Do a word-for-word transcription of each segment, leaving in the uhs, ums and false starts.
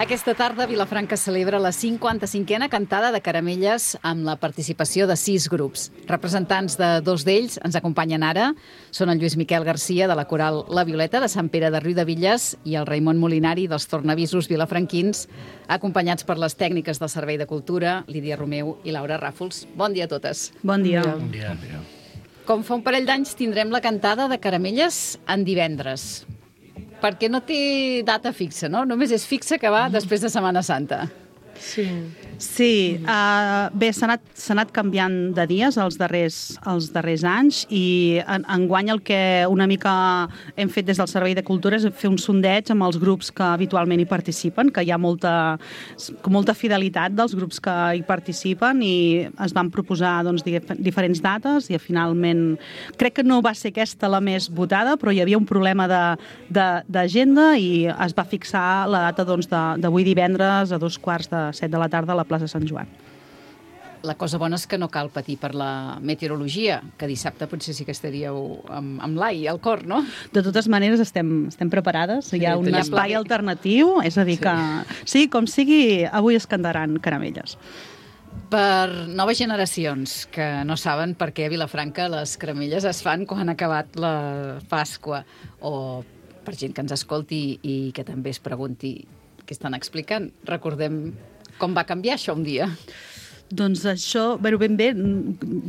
Aquesta tarda Vilafranca celebra la cinquanta-cinquena cantada de Caramelles amb la participació de sis grups. Representants de dos d'ells ens acompanyen ara. Són el Lluís Miquel Garcia, de la coral La Violeta, de Sant Pere de Riudebitlles, i el Raimon Molinari, dels tornavisos vilafranquins, acompanyats per les tècniques del Servei de Cultura, Lídia Romeu i Laura Ràfols. Bon dia a totes. Bon dia. Bon dia. Bon dia. Com fa un parell d'anys tindrem la cantada de Caramelles en divendres, perquè no té data fixa, no? Només és fixa que va després de Setmana Santa. Sí. Sí, uh, bé, s'ha anat, s'ha anat canviant de dies els darrers, els darrers anys i en, enguany el que una mica hem fet des del Servei de Cultura és fer un sondeig amb els grups que habitualment hi participen, que hi ha molta, molta fidelitat dels grups que hi participen, i es van proposar doncs, diferents dates i finalment crec que no va ser aquesta la més votada, però hi havia un problema d'agenda i es va fixar la data doncs, d'avui divendres a dos quarts de set de la tarda a la plaça Sant Joan. La cosa bona és que no cal patir per la meteorologia, que dissabte potser sí que estaríeu amb, amb l'ai al cor, no? De totes maneres estem, estem preparades, sí, hi ha un espai la... alternatiu, és a dir que sí, com sigui, avui es cantaran Caramelles. Per noves generacions que no saben per què a Vilafranca les caramelles es fan quan ha acabat la Pasqua, o per gent que ens escolti i que també es pregunti què estan explicant, recordem com va canviar això un dia? Doncs això, bé, ben bé,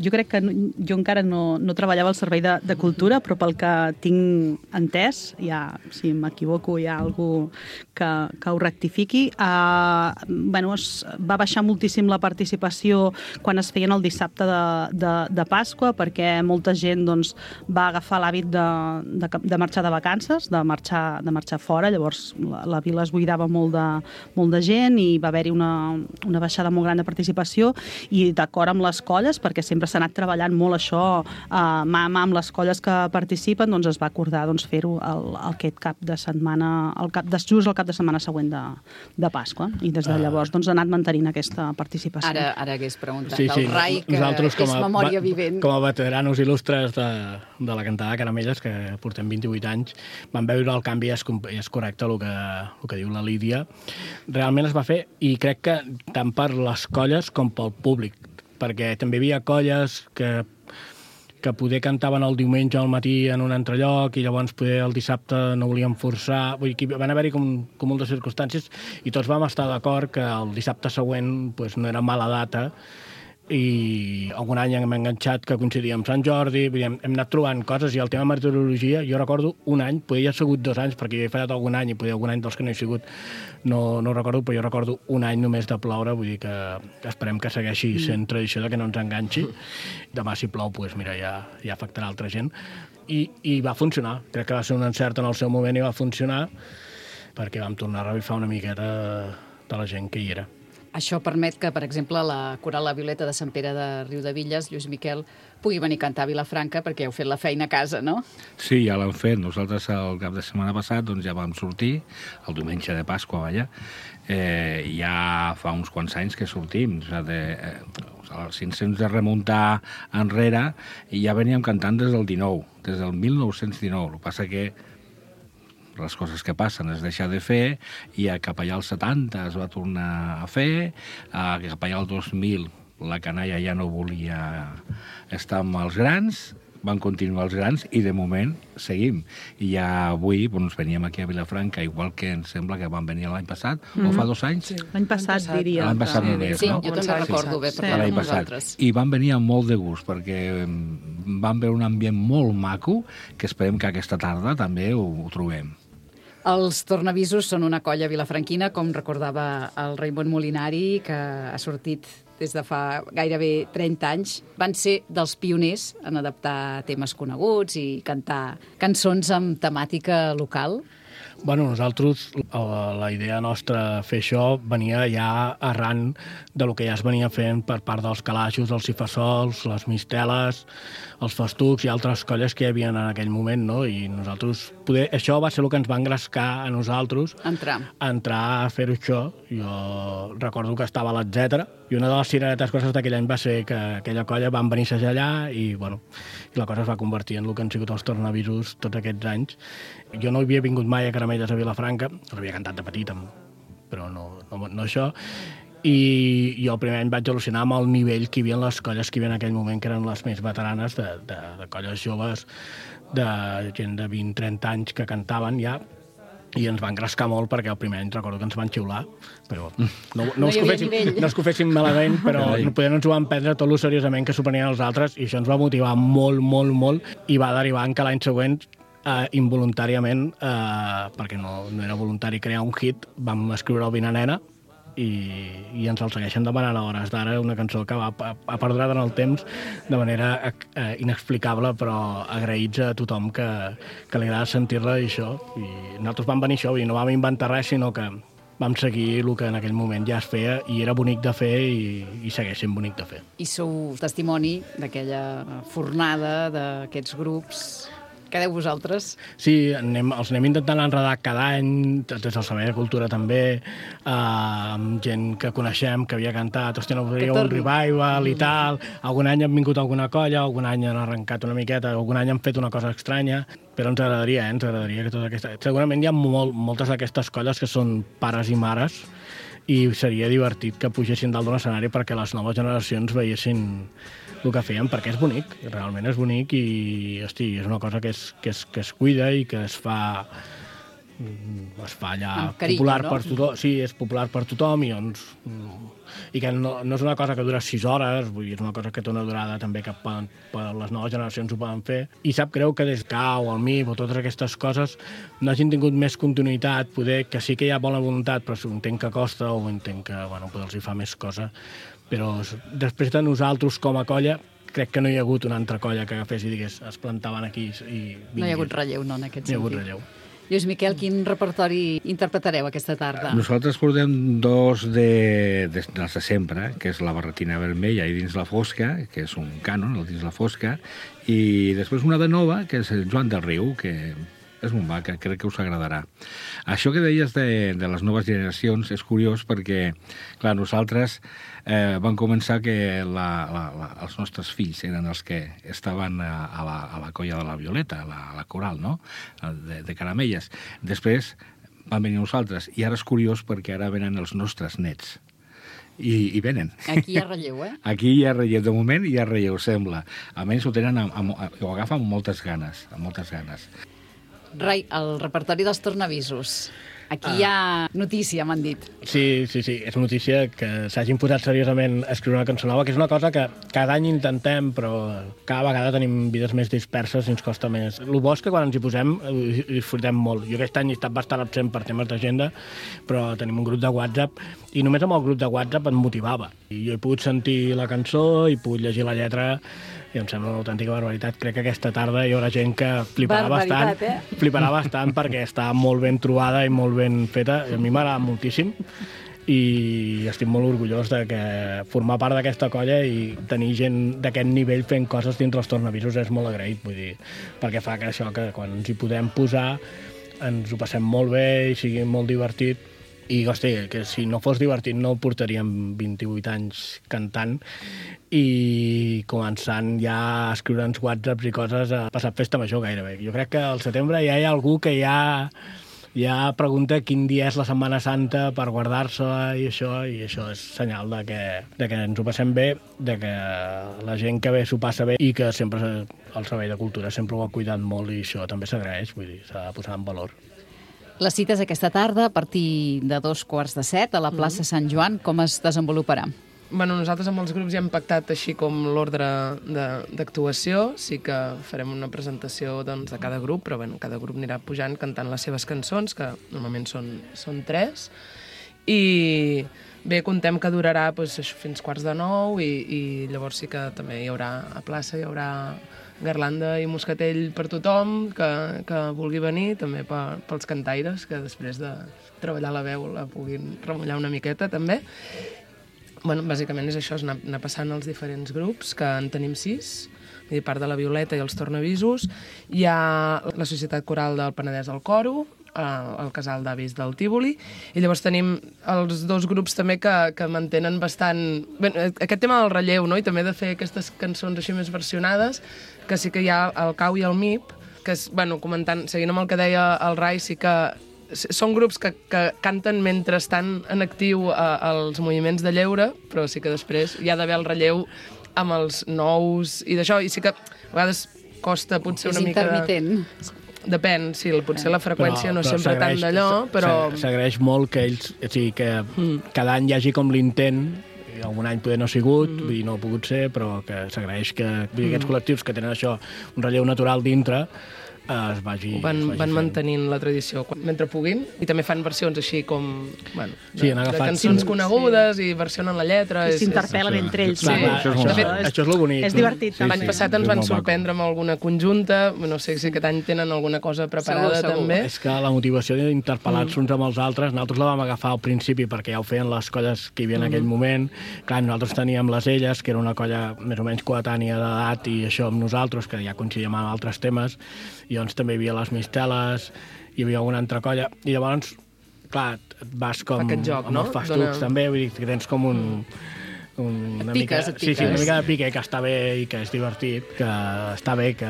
jo crec que jo encara no, no treballava al Servei de, de Cultura, però pel que tinc entès, ja, si m'equivoco hi ha algú que, que ho rectifiqui, uh, bueno, es va baixar moltíssim la participació quan es feien el dissabte de, de, de Pasqua, perquè molta gent doncs, va agafar l'hàbit de, de, de marxar de vacances, de marxar, de marxar fora, llavors la, la vila es buidava molt de, molt de gent i va haver-hi una, una baixada molt gran de participació, i d'acord amb les colles, perquè sempre s'ha anat treballant molt això eh, mà a mà amb les colles que participen, doncs es va acordar doncs, fer-ho el, el aquest cap de setmana, el cap de, just el cap de setmana següent de, de Pasqua, i des de llavors doncs, ha anat mantenint aquesta participació. Ara, ara hagués preguntat sí, sí, el Rai, que com és a, memòria vivent. Com a veteranos il·lustres de, de la cantada de Caramelles, que portem vint-i-vuit anys, vam veure el canvi, és, és correcte el que, el que diu la Lídia. Realment es va fer, i crec que tant per les colles com pel públic, perquè també hi havia colles que, que poder cantaven el diumenge al matí en un altre lloc i llavors poder el dissabte no volien forçar. Vull dir, van haver-hi com, com moltes circumstàncies i tots vam estar d'acord que el dissabte següent pues, no era mala data, i algun any hem enganxat que coincidia amb Sant Jordi, hem, hem anat trobant coses, i el tema meteorologia, jo recordo un any, poder ha sigut dos anys, perquè jo he fallat algun any, i poder algun any dels que no he sigut no, no recordo, però jo recordo un any només de ploure, vull dir que esperem que segueixi sent tradició de que no ens enganxi. Demà si plou, doncs mira, ja, ja afectarà altra gent. I, I va funcionar, crec que va ser un encert en el seu moment i va funcionar, perquè vam tornar a revifar una miqueta de la gent que hi era. Això permet que, per exemple, la coral La Violeta de Sant Pere de Riudebitlles, Lluís Miquel, pugui venir a cantar a Vilafranca perquè heu fet la feina a casa, no? Sí, ja l'hem fet. Nosaltres el cap de setmana passat doncs, ja vam sortir, el diumenge de Pasqua, vaja. Eh, ja fa uns quants anys que sortim. O sigui, de, eh, si ens hem de remuntar enrere, i ja veníem cantant des del dinou, des del mil nou-cents dinou. El que passa que les coses que passen es deixa de fer, i cap allà als setanta es va tornar a fer, cap allà al dos mil la canalla ja no volia estar amb els grans, van continuar els grans, i de moment seguim. I ja avui doncs, veníem aquí a Vilafranca, igual que em sembla que van venir l'any passat, mm-hmm. o fa dos anys? Sí. L'any passat, diria. L'any passat sí, només, sí, no? Jo també recordo bé, sí. L'any passat. I van venir amb molt de gust, perquè van veure un ambient molt maco, que esperem que aquesta tarda també ho, ho trobem. Els tornavisos són una colla vilafranquina, com recordava el Raimon Molinari, que ha sortit des de fa gairebé trenta anys. Van ser dels pioners en adaptar temes coneguts i cantar cançons amb temàtica local. Bueno, nosaltres, la idea nostra fer això venia ja arran de lo que ja es venia fent per part dels calaixos, els cifassols, les misteles, els festucs i altres colles que hi havia en aquell moment, no? I nosaltres, poder, això va ser el que ens va engrescar a nosaltres. Entrar. A entrar a fer-ho això. Jo recordo que estava a l'Etcètera, i una de les cireretes coses d'aquell any va ser que aquella colla van venir a allà, i, bueno, i la cosa es va convertir en el que han sigut els tornavisos tots aquests anys. Jo no havia vingut mai a Caramelles a Vilafranca, els havia cantat de petit amb però no, no, no això. I jo el primer any vaig al·lucinar amb el nivell que hi havia en les colles que hi havia en aquell moment, que eren les més veteranes, de, de, de colles joves, de gent de vint a trenta anys que cantaven ja, i ens van engrescar molt perquè el primer any recordo que ens van xiular, però no, no, no, us, que fessin, no us que ho fessin malament, però no, poder no ens ho van prendre tot lo seriosament que s'ho prenien els altres, i això ens va motivar molt, molt, molt, i va derivar en que l'any següent Uh, involuntàriament, uh, perquè no, no era voluntari crear un hit, vam escriure el Vine Nena i, i ens el segueixen demanant a hores d'ara, una cançó que va, ha perdurat en el temps de manera uh, inexplicable, però agraïts a tothom que, que li agrada sentir-la i això. I nosaltres vam venir això, i no vam inventar res, sinó que vam seguir el que en aquell moment ja es feia i era bonic de fer i, i segueix sent bonic de fer. I sou testimoni d'aquella fornada d'aquests grups. Què deu vosaltres? Sí, anem, els anem intentant enredar cada any, des del Servei de Cultura també, eh, amb gent que coneixem, que havia cantat, hòstia, no podria un revival i tal, algun any han vingut alguna colla, algun any han arrencat una miqueta, algun any han fet una cosa estranya, però ens agradaria, eh? ens agradaria que tota aquesta... Segurament hi ha molt, moltes d'aquestes colles que són pares i mares, i seria divertit que pugessin dalt d'un escenari perquè les noves generacions veiessin el que feien, perquè és bonic, realment és bonic i, hosti, és una cosa que es, que es, que es cuida i que es fa es fa allà carinyo, popular, no? Per tothom. Sí, és popular per tothom i, doncs, i que no, no és una cosa que dura sis hores, vull dir, és una cosa que té una durada també que poden, per les noves generacions ho poden fer. I sap greu que des C A U, el M I P o totes aquestes coses no hagin tingut més continuïtat, poder que sí que hi ha bona voluntat, però entenc que costa o entenc que bueno, poder els hi fa més cosa. Però després de nosaltres com a colla, crec que no hi ha hagut una altra colla que agafés i digués es plantaven aquí i vingués. No hi ha hagut relleu, no, en aquest sentit. No hi ha hagut relleu. Lluís Miquel, quin repertori interpretareu aquesta tarda? Nosaltres portem dos de, de, dels de sempre, que és la Barretina Vermella i Dins la Fosca, que és un cànon, el Dins la Fosca, i després una de nova, que és el Joan del Riu, que és un va, que crec que us agradarà. Això que deies de, de les noves generacions és curiós perquè, clar, nosaltres eh, vam començar que la, la, la, els nostres fills eren els que estaven a, a, la, a la colla de la Violeta, a la, a la coral, no?, de, de Caramelles. Després van venir nosaltres, i ara és curiós perquè ara venen els nostres nets. I, i venen. Aquí hi ha relleu, eh? Aquí hi ha relleu. De moment hi ha relleu, sembla. Almenys ho tenen, amb, amb, ho agafen amb moltes ganes, amb moltes ganes. Rai, el repertori dels tornavisos. Aquí ah. hi ha notícia, m'han dit. Sí, sí, sí, és notícia que s'hagin posat seriosament a escriure una cançó nova, que és una cosa que cada any intentem, però cada vegada tenim vides més disperses i ens costa més. El bo és que quan ens hi posem ho disfrutem molt. Jo aquest any he estat bastant absent per temes d'agenda, però tenim un grup de WhatsApp i només amb el grup de WhatsApp em motivava. I jo he pogut sentir la cançó, he pogut llegir la lletra i em sembla una autèntica barbaritat. Crec que aquesta tarda hi haurà gent que fliparà bastant, eh? fliparà bastant perquè està molt ben trobada i molt ben feta. A mi m'agrada moltíssim i estic molt orgullós de que formar part d'aquesta colla i tenir gent d'aquest nivell fent coses dins els tornavisos és molt agraït, vull dir, perquè fa que això, que quan ens hi podem posar ens ho passem molt bé i sigui molt divertit. I, hosti, que si no fos divertit no portaríem vint-i-vuit anys cantant i començant ja a escriure'ns whatsapps i coses a passar festa major gairebé. Jo crec que al setembre ja hi ha algú que ja, ja pregunta quin dia és la Setmana Santa per guardar-se-la i això, i això és senyal de que, de que ens ho passem bé, de que la gent que ve s'ho passa bé i que sempre el Servei de Cultura sempre ho ha cuidat molt i això també s'agraeix, vull dir, s'ha de posar en valor. La cita és aquesta tarda a partir de dos quarts de set a la plaça Sant Joan. Com es desenvoluparà? Bueno, nosaltres amb els grups ja hem pactat així com l'ordre d'actuació. Sí que farem una presentació doncs, de cada grup, però bueno, cada grup anirà pujant cantant les seves cançons, que normalment són, són tres. I bé, contem que durarà doncs, fins quarts de nou i, i llavors sí que també hi haurà a plaça, hi haurà garlanda i moscatell per tothom que, que vulgui venir, també per, pels cantaires, que després de treballar la veu la puguin remullar una miqueta també. Bueno, bàsicament és això, és anar, anar passant els diferents grups, que en tenim sis, a part de la Violeta i els tornavisos. Hi ha la Societat Coral del Penedès al Coro, el Casal d'Avis del Tívoli, i llavors tenim els dos grups també que, que mantenen bastant... Bé, aquest tema del relleu, no? I també de fer aquestes cançons així més versionades, que sí que hi ha el C A U i el M I P, que és, bueno, comentant, seguint amb el que deia el Rai, sí que són grups que, que canten mentre estan en actiu a, als moviments de lleure, però sí que després hi ha d'haver el relleu amb els nous i d'això, i sí que a vegades costa potser És una mica... intermitent. Depèn, sí, potser la freqüència Però- no és però sempre tant s'agraeix- d'allò, però... s'a- S'agraeix molt que ells, o sigui, que cada any hi hagi com l'intent, i algun any poder no ha sigut, vull dir, no ha pogut ser, però que s'agraeix que vull dir, aquests col·lectius que tenen això, un relleu natural dintre, es vagi, Van, es vagi van fent. mantenint la tradició quan- mentre puguin, i també fan versions així com, bueno, de, Sí, han de agafat- cançons Sí. conegudes i versionen la lletra. I és- s'interpel·len és- entre ells. Sí, Clar, Sí, clar, això és això, molt de maco. fet, això és el bonic. És no? divertit. Sí, L'any sí, passat és ens van molt maco. sorprendre amb alguna conjunta, no sé si aquest any tenen alguna cosa preparada Segur, segur. també. És que la motivació d'interpel·lar-se uns amb els altres, nosaltres la vam agafar al principi perquè ja ho feien les colles que hi havia en aquell moment. Clar, nosaltres teníem les Elles, que era una colla més o menys coetània d'edat, i això amb nosaltres, que ja coincidíem amb altres temes, i llavors també hi havia les Misteles, hi havia alguna altra colla, i llavors, clar, et vas com... Fa aquest joc, amb no? els fastucs Dona- també, vull dir que tens com un... un una Et piques, mica, et Sí, sí, piques. una mica de pique, que està bé i que és divertit, que està bé que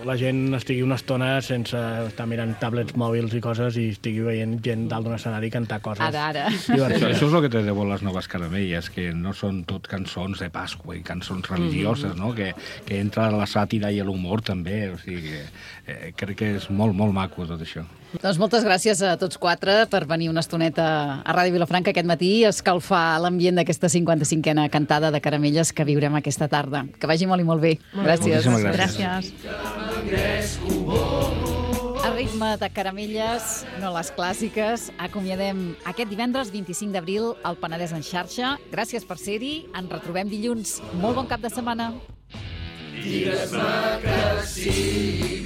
la gent estigui una estona sense estar mirant tablets mòbils i coses i estigui veient gent dalt d'un escenari cantar coses. Ara, ara. Això, divertides. això és el que té de bo les noves caramelles, que no són tot cançons de Pasqua i cançons religioses, no? que, que entra la sàtira i l'humor també, o sigui que eh, crec que és molt, molt maco tot això. Doncs moltes gràcies a tots quatre per venir una estoneta a Ràdio Vilafranca aquest matí i escalfar l'ambient d'aquesta cinquanta-cinquena cantada de Caramelles que viurem aquesta tarda. Que vagi molt i molt bé. Gràcies. Moltíssimes gràcies. Gràcies. A ritme de Caramelles, no les clàssiques, acomiadem aquest divendres vint-i-cinc d'abril al Penedès en xarxa. Gràcies per ser-hi. Ens retrobem dilluns. Molt bon cap de setmana. Digues-me que sí,